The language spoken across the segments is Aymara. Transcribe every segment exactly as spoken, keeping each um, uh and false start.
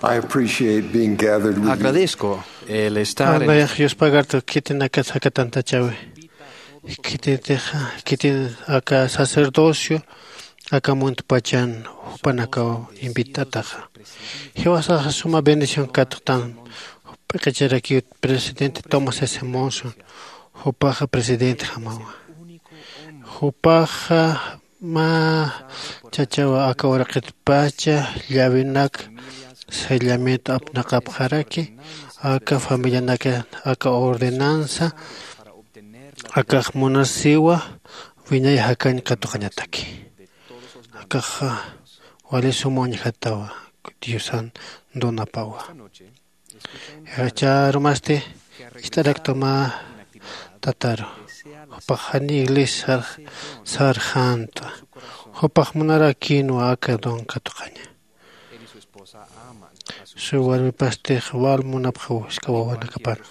I appreciate being gathered with you. Agradezco el estar en Nayax yuspagartu khitinakat jakatantachawi. Khititixa khitin aka sacerdocio aka muntpachan jupanakaw invitataxa. Jiwasaxa suma bendición katxtan p'iqicharakiw presidente Thomas S. Monson. Jupaxa presidente jamawa. Jupaxa mä chachawa aka uraqitpacha llavinak sellamiento apnaqapxaraki aka familianaka aka ordenanza akax munasiwa wiñay jakañ katuqañataki. Akaxa wali suma uñjatawa diosan donapawa. Chärumasti ist'araktuma tataru jupax jani iglesia sarxänta. Jupax munarakïnwa aka don katuqaña. Su warmipastix wal munapxaw jisk'a wawanakapana.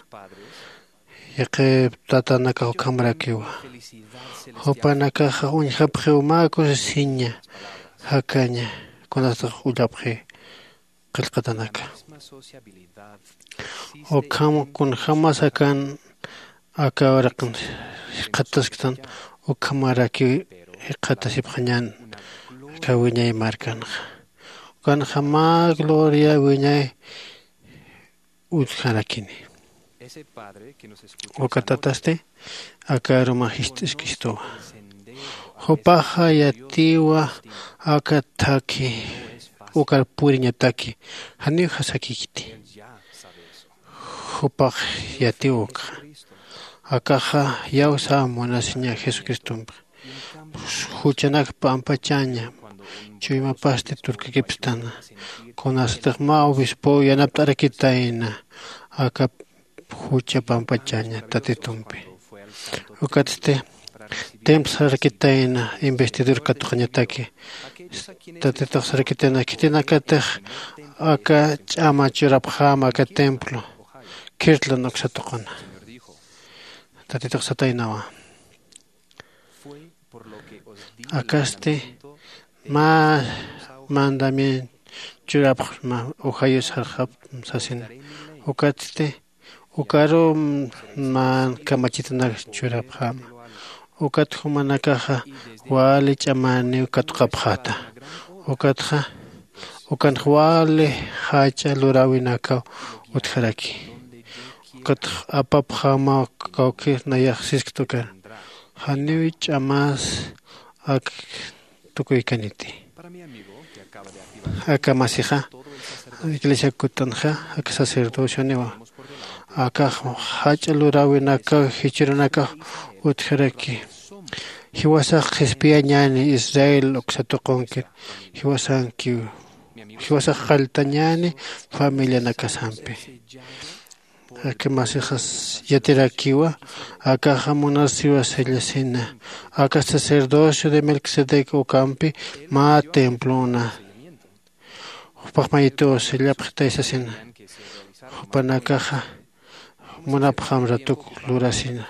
Yaqhip tatanakax ukhamarakiwa. Jupanakaxa uñjapxiw mä kusisiña jakaña kunasatix ullapxi qillqatanaka. Ukham kunjämas akan aka uraqin jikxatasktan ukhamarakiw jikxatasipxañän aka wiñay markanxa. Ukanxa mä gloria wiñay utjarakini. Uka tatasti aka aruma jist'iskistuwa. Jupaxa yatiwa aka thakhi ukar puriñataki janiw jasakikiti. Jupax yatiw ukxa akaxa iyawsa munasiña jesucristompi. Juchanak pampachaña chuymapasti turkakipstana kunasatix mä obispow yanapt'arakitayna aka jucha pampachaña tatitumpi. Ukatsti templo sarakitayna investidor katuqañataki. Tatitux sarakitayna khitinakatix aka ch'ama churapxäma aka templo kirtlan uksatuquna. Tatitux sataynawa. Akasti mä mandamiento churapxma ujayus sarxapxma sasina. Ukatsti ukaru mä kamachitanak churapxäma. Ukat jumanakaxa wali ch'amäniw katuqapxäta. Ukatxa ukanx wali jach'a luräwinakaw utjaraki. Ukatx apapxämaw kawkir nayax sisktukan janiw ch'amas ak tukuykaniti. Aka masixa iglesia kutanxa aka sacerdocioniwa akax jach'a luräwinakaw jichhürunakax utjaraki. Jiwasax qhispiyañäni israel uksa tuqunkir jiwasankiw. Jiwasax qalltañäni familianakasampi. Aka masixas yatirakiwa akaxa munasiwa sellasina aka sacerdocio de melquisedec ukampi mä templona. Jupax mayituw sellapxitay sasina. Jupanakaxa munapxam ratuk lurasina.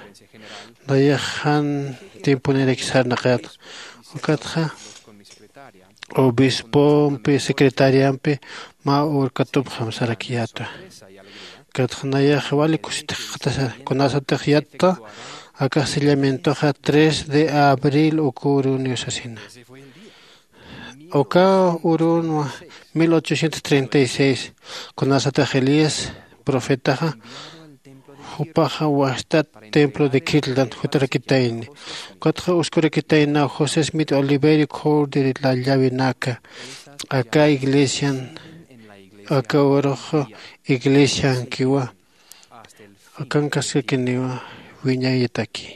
Nayax jan tiemponiraki sarnaqayat ukatxa obispompi secretariampi mä urkatupxam sarakiyätwa. Ukatxa nayax wali kusitix qatasa kunasatix yatta akax sellamientoxa tres de abril uka uruniw sasina. Uka urunwa mil ochocientos treinta y seis kunasatix elías profetaxa jupaxa wastat templo de kirtlan jutarakitayni. Ukatxa uskurakitaynaw josé smith oliverio corder la llavinaka aka iglesian aka urux iglesiankiwa akankaskakiniwa wiñayataki.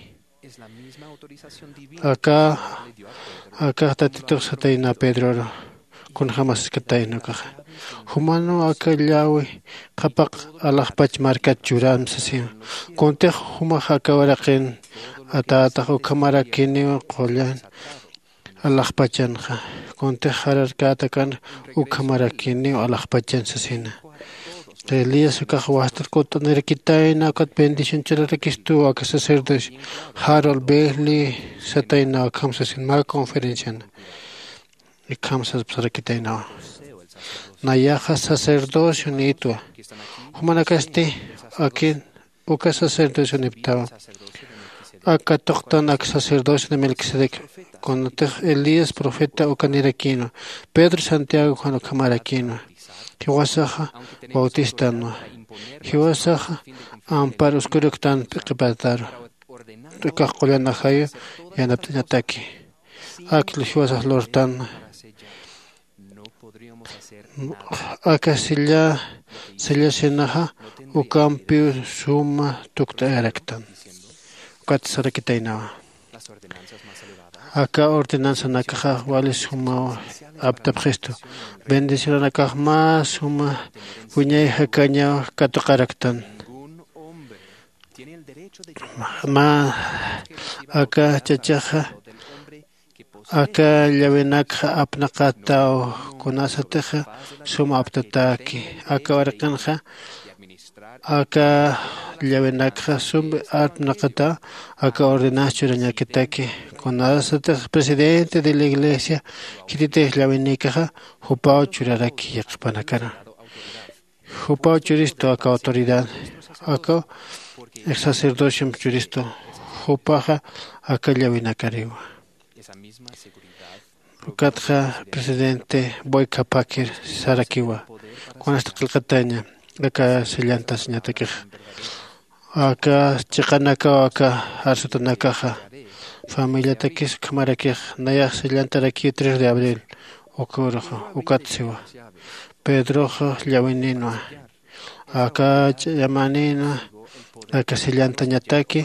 Aka aka tatitux satayna pedroru kunjämas iskatayna ukaxa jumanwa aka llawi qhapaq alaxpach markat churan sasina. Kuntix jumax aka uraqin atätax ukhamarakiniw qullan alaxpachanxa kuntix jararkätakan ukhamarakiniw alaxpachan sasina. Elías ukax wastat kutt'anirakitayna ukat bendición churarakistuw aka sacerdocio harold bailey satayna ukham sasin mä conferenciana. Ikham saspasarakitaynawa Nayaxa sacerdocio niytwa. Jumanakasti akin uka sacerdocio niptawa. Aka tuqtan ak sacerdocio de Melquisedec, kunatix Elías profeta uka nirakïnwa, Pedro Santiago Juan ukhamarakïnwa. Jiwasaxa bautistanwa. Jiwasaxa ampar uskuruktan p'iqipataru. Ukax qullan ajayu yanapt'añataki. Ak jiwasax lurtanwa. Aka silla silla sinaxa ukampiw suma tukt'ayaraktan. Ukat sarakitaynawa. Aka ordenanzanakaxa wali sumaw aptapxistu. Bendicionanakax mä suma wiñay jakañaw katuqaraktan. Mä aka chachaxa aka llawinakxa apnaqataw. Kunasatixa suma aptataki aka waraqinxa aka llawinakxa sum apnaqataw. Aka ordenanza churañakitaki kunasatix presidente de la iglesia khititix llawinikaxa jupaw churaraki yaqhipanakara. Jupaw churistu aka autoridad aka sacerdociom churistu. Jupaxa aka llawinakariwa. Ukatxa presidente boycapakir sarakiwa. Kunasta qillqataña aka sellantasiñatakixa aka chiqanakaw aka arsutanakaxa familiatakis ukhamarakix nayax sellantarakiw tres de abril. Uka uruxa ukat siwa pedroxa llawinïnwa aka ch'amanïnwa aka sellantañataki.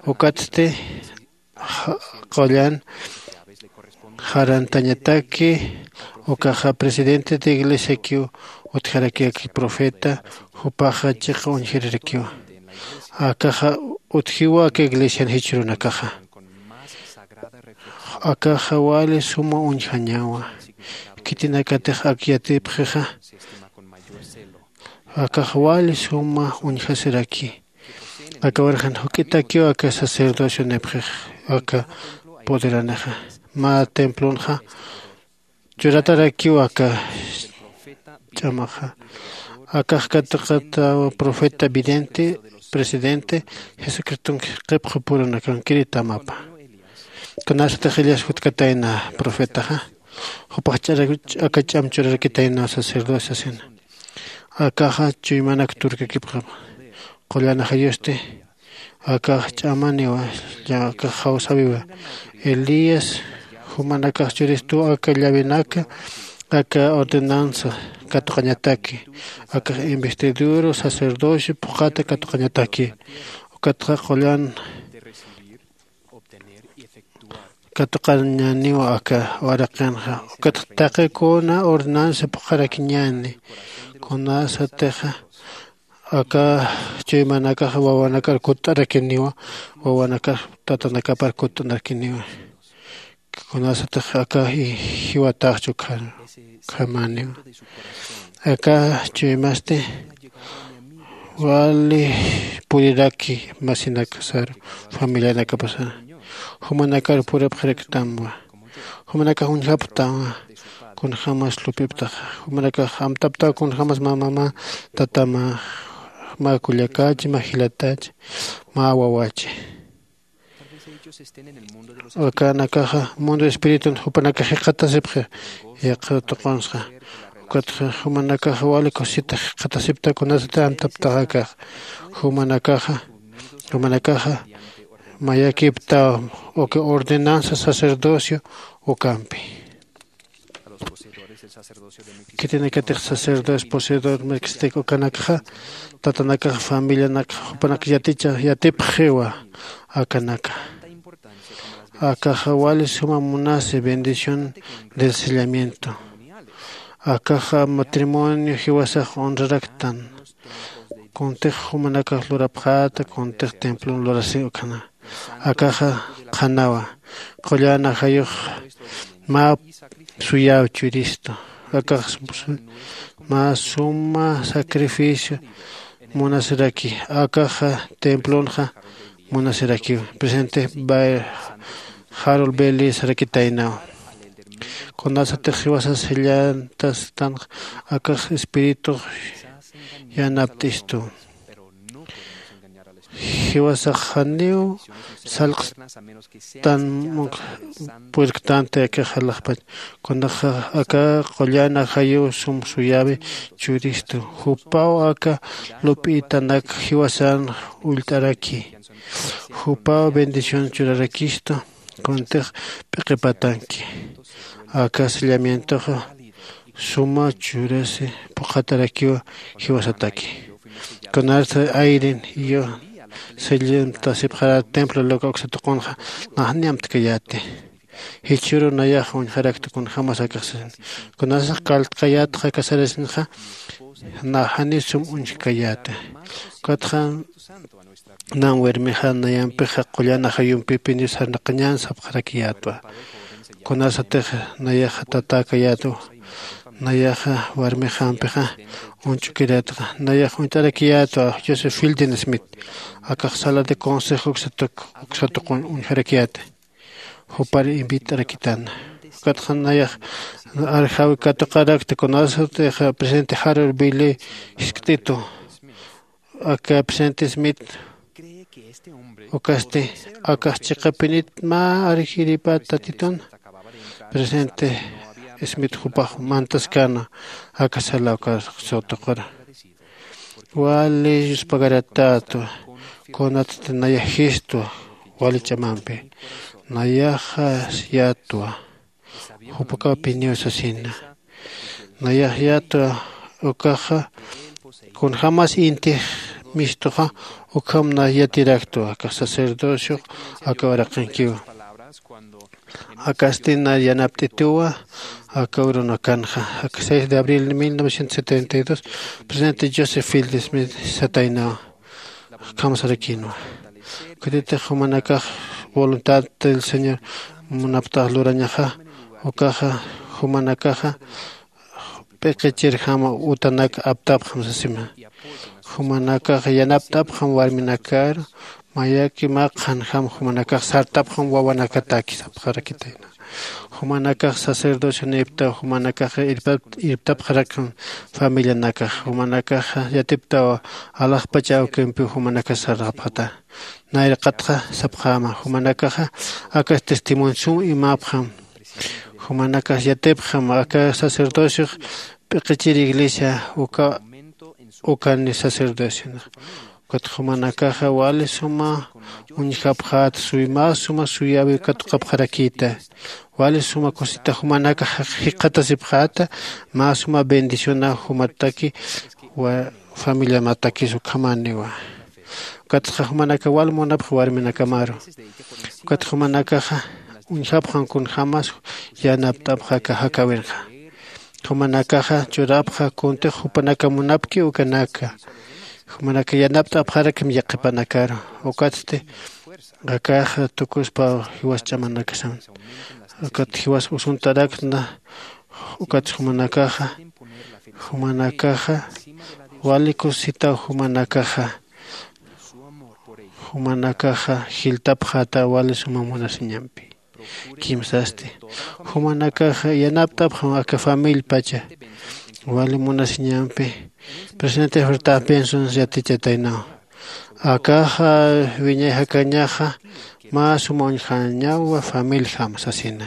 Ukatsti qullan jarantañataki ukaxa presidente de iglesiakiw utjaraki aka profeta jupaxa chiqa uñjirirakiwa. Akaxa utjiwa aka iglesian jichhürunakaxa akaxa wali suma uñjañawa. Khitinakatix ak yatipxixa akax wali suma uñjasiraki. Aka warjan juk'itakiw aka sacerdocionipxix aka poderanixa mä templonxa churatarakiw aka ch'amaxa. Akax katuqataw profeta vidente presidente jesucristonki qipxupurunakankiri tamapa. Kunasatix elias jutkatayna profetaxa jupax ch'ara aka ch'am churarakitayna sacerdocio sasina. Akaxa chuymanak turkakipxama qullanajayusti akax ch'amaniwa. Akax jawsawiwa elías jumanakax churistuw aka llawinaka aka ordenanza katuqañataki akax investidura sacerdocio phuqhata katuqañataki. Ukatxa qullan katuqañäniwa aka waraqinxa. Ukatxa taqi kuna ordenanza phuqharakiñäni kunasatixa aka chuymanakaxa wawanakar kutt'arakiniwa. Wawanakar tatanakapar kutt'arakiniwa kunasatix aka jiwataxchu khamäniwa. Aka chuymasti wali puriraki masinakasaru familianakapasa jumanakar purapxaraktamwa. Jumanakax uñjapxtawa kunjämas lupiptaxa jumanakax amtaptaw kunjämas mä mamä tatamä mä kullakach mä jilatach mä wawachi. Akanakaxa mundo espiritun jupanakax jikxatasipxi yaqha tuqunsxa. Ukatxa jumanakaxa wali kusisita jikxatasipta kunasati amtaptaxakax jumanakaxa jumanakaxa mayakiptaw uka ordenanza sacerdocio ukampi. Khitinakatix sacerdocio poseedor melquisedec ukanakxa tatanakax familianakxa jupanak yaticha yatipxiwa. Akanaka akaxa wali suma munasi bendición del sellamiento. Akaxa matrimonio jiwasax honraraktan kuntix jumanakax lurapxäta kuntix templon lurasi ukhana. Akaxa qhanawa qullan ajayux mä suyäw churistu. Akax mä suma sacrificio munasiraki akaxa templonxa munasirakiw. Presidente harold belli sarakitaynaw Kunasatix jiwasas jillantastanx akax espiritux yanapt'istu. Jiwasax janiw salqstan purktanti akax alaxpach. Kunaxa aka qullan ajayu sum suyawi churistu. Jupaw aka lup'itanak jiwasan ullt'araki. Jupaw bendición churarakistu. Kuntix p'iqipatanki aka sellamientoxa suma churasi phuqhatarakiwa jiwasataki. Kunarsa ayrin iyo sellantasipxarat templo loka uksatuqunxa naxni amtkayäti. Jichhüru nayax uñjarakta kunjämas akaxsasin. Kunasax kaltkayätxa kasarasinxa naxani sum uñjkayäta. Ukatxa nan warmixa nayampixa qullan ajayumpipi niw sarnaqañän sapxarakiyätwa. Kunasatix nayaxa tatäkayätwa. Nayaxa warmixampixa uñch'ukirätxa nayax uñt'arakiyätwa joseph fielding smith. Akax sala de consejo uksatuq uksatuqun uñjarakiyäta. Jupar invit'arakitana. Ukatxa nayax arjawi katuqarakta kunasatix presidente harold billy jiskt'itu. Aka presidente smith ukasti akax chiqapinit mä arjiripat tatitun. Presidente smith jupax mantaskäna aka sala uka sotuqura. Wali yuspagaratätwa. Kunatsti nayaxistwa wali ch'amampi nayaxas yätwa. Jupakapiniw sasina nayax yätwa. Ukaxa kunjämas intix mistuxa ukham na yatiraktwa aka sacerdociox aka uraqinkiwa. Akasti na yanapt'ituwa aka urunakanxa aka seis de abril de mil novecientos setenta y dos presidente joseph fielding smith sataynawa. Kamsarakinwa. Ukatitix jumanakax voluntad del señor munaptax lurañaxa ukaxa jumanakaxa p'iqichirjama utanak aptapxam sasima. Jumanakax yanapt'apxam warminakaru mayaki mä qhanjam jumanakax sartapxam wawanakataki sapxarakitayna. Jumanakax sacerdocioniptaw jumanakax irptapxarakxam familianakax jumanakax yatiptaw alaxpach awkimpiw jumanakax sarxapxata. Nayraqatxa sapxäma jumanakaxa akas testimonio sum imäpxam. Jumanakax yatipxam aka sacerdociox p'iqichir iglesia uka ukani sacerdociona. Ukat jumanakaxa wali suma uñjapxät suy mä suma suyäwi katuqapxarakïta. Wali suma kusita jumanakax jikxatasipxäta mä suma bendiciona jumataki familiamatakis ukhamäniwa. Ukatxa jumanakax wal munapxa warminakamaru. Ukat jumanakaxa uñjapxam kunjämas yanapt'apxa aka jakäwinxa. Jumanakaxa churapxa kuntix jupanaka munapki ukanaka. Jumanaka yanapt'apxarakim yaqhipanakaru. Ukatsti akax tukuspa jiwas ch'amanakasan ukat jiwas usuntarakna. Ukat jumanakaxa jumanakaxa wali kusitaw jumanakaxa jumanakaxa jiltapxäta wali suma munasiñampi. Kimsasti jumanakaxa yanapt'apxam aka famillpacha wali munasiñampi. Presidente fertaf benson yatichataynaw akaxa wiñay jakañaxa mä suma uñjañawa familjam sasina.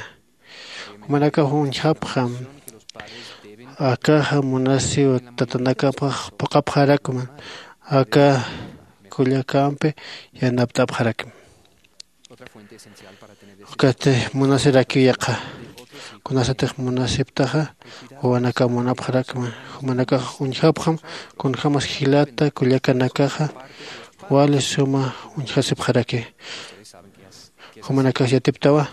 Jumanakax uñjapxam akaxa munasiw tatanakapax phuqhapxarakman aka kullakampi yanapt'apxarakman. Ukatsti munasirakiw yaqha. Kunasatix munasiptaxa wawanakaw munapxarakman. Jumanakax uñjapxam kunjämas jilata kullakanakaxa wali suma uñjasipxaraki. Jumanakax yatiptawa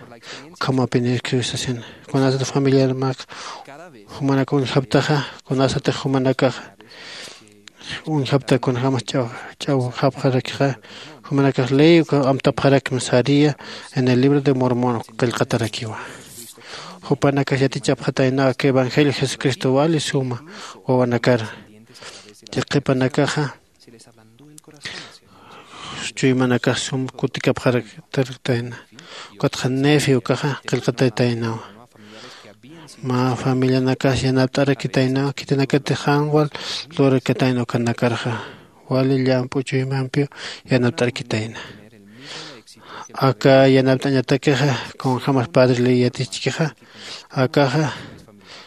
ukhamapinirkiw sasina. Kunasatix familiarmak jumanakax uñjaptaxa kunasatix jumanakaxa uñjapta kunjämas ch'aw ch'awjapxarakixa. Jumanakax ley uka amtapxarakma saria en el libro de mormón qillqatarakiwa. Jupanakax yatichapxataynaw aka evangelio jesucristo wali suma wawanakar yaqhipanakaxa chuymanakax sum kutikapxaraktarktayna. Ukatxa nefi ukaxa qillqatataynawa. Mä familianakas yanapt'arakitaynaw khitinakatix jan wal lurakitayna ukanakarxa wali llamp'u chuymampiw yanapt'arakitayna. Aka yanapt'añatakixa kunjämas padre ley yatichkixa akaxa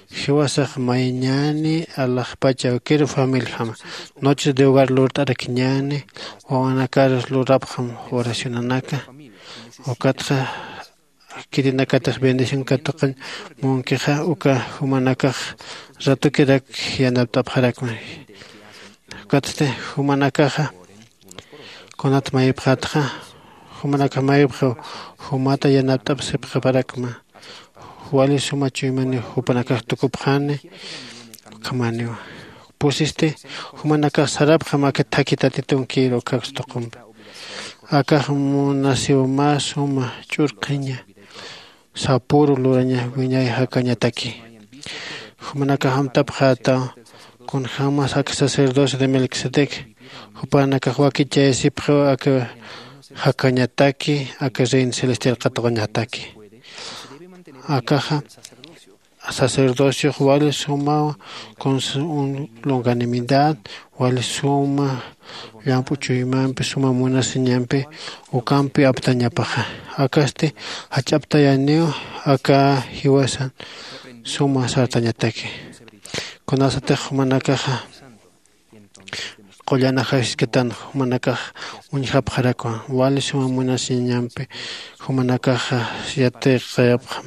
jiwasax mayñäni alaxpacha awkiru familijama noches de hogar lurt'arakiñäni wawanakar lurapxam oracionanaka. Ukatxa khitinakatix bendición katuqañ munkixa uka jumanakax ratukirak yanapt'apxarakma. Ukatsti jumanakaxa kunat mayipxatxa jumanakax mayipxa jumata yanapt'apsipxaparakma. Wali suma chuymaniw jupanakax tukupxani. Ukhamaniw pusisti jumanakax sarapxam aka thakhi tatitunkir ukhaks tuqumpi. Akax munasiw mä suma ch'urqhiña sapüru luraña wiñay jakañataki. Jumanakax amtapxätaw kunjämas aka sacerdocio de melquisedec jupanakax wakichayasipxiw aka jakañataki aka reino celestial katuqañataki. Akaxa sacerdociox wali sumaw con su longanimidad wali suma llamp'u chuymampi suma munasiñampi ukampi aptañapaxa. Akasti jach'aptayaniw aka jiwasan suma sartañataki. Kunasatix jumanakaxa qullan ajayuskitan jumanakax uñjapxarakwa wali suma munasiñampi jumanakaxa yatiqayapxam.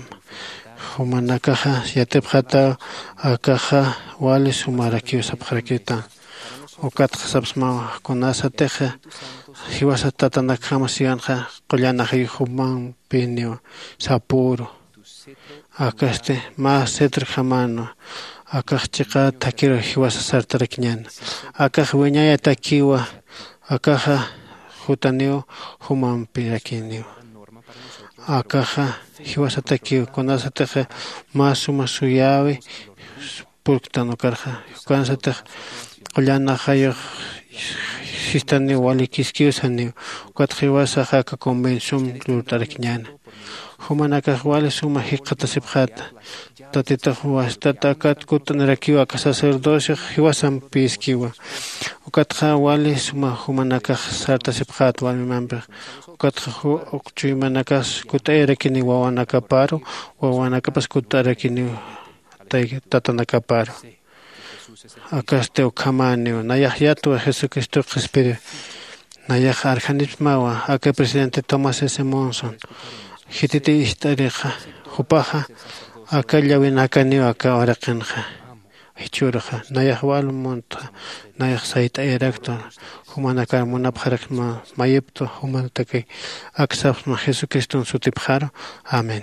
Jumanakaxa yatipxataw akaxa wali sumarakiw sapxarakitan. Ukatxa sapsmawa kunasatixa jiwasat tatanakjama siwanxa qullan ajayux jumampiniw sapüru. Akasti mä cetrojamänwa akax chiqät thakhiru jiwasa sartarakiñäna. Akax wiñayatakiwa akaxa jutaniw jumampirakiniwa. Akaxa jiwasatakiw kunasatixa mä suma suyäwi purktan ukarxa ukansatix qullan ajayux sistaniw wali kiskiw saniw. Ukatxa jiwasax aka convención lurt'arakiñäna. Jumanakax wali suma jikxatasipxäta tatitux wastata akat kutt'anirakiw aka sacerdociox jiwasampïskiwa. Ukatxa wali suma jumanakax sartasipxäta warmimampix. Ukatxa uk chuymanakax kutt'ayarakiniw wawanakaparu wawanakapas kutt'ayarakiniw tatanakaparu. Akasti ukhamäniw nayax yatwa jesucristox qhispiri. Nayax arjanipsmawa aka presidente tomás s monson jititi ist'arixa jupaxa aka llawinakaniw aka uraqinxa. Jichhürxa nayax wal muntxa nayax sayt'ayaraktwa jumanakar munapxarakma mayiptwa jumanataki. Aksapxma jesucriston sutipxaru. Amén.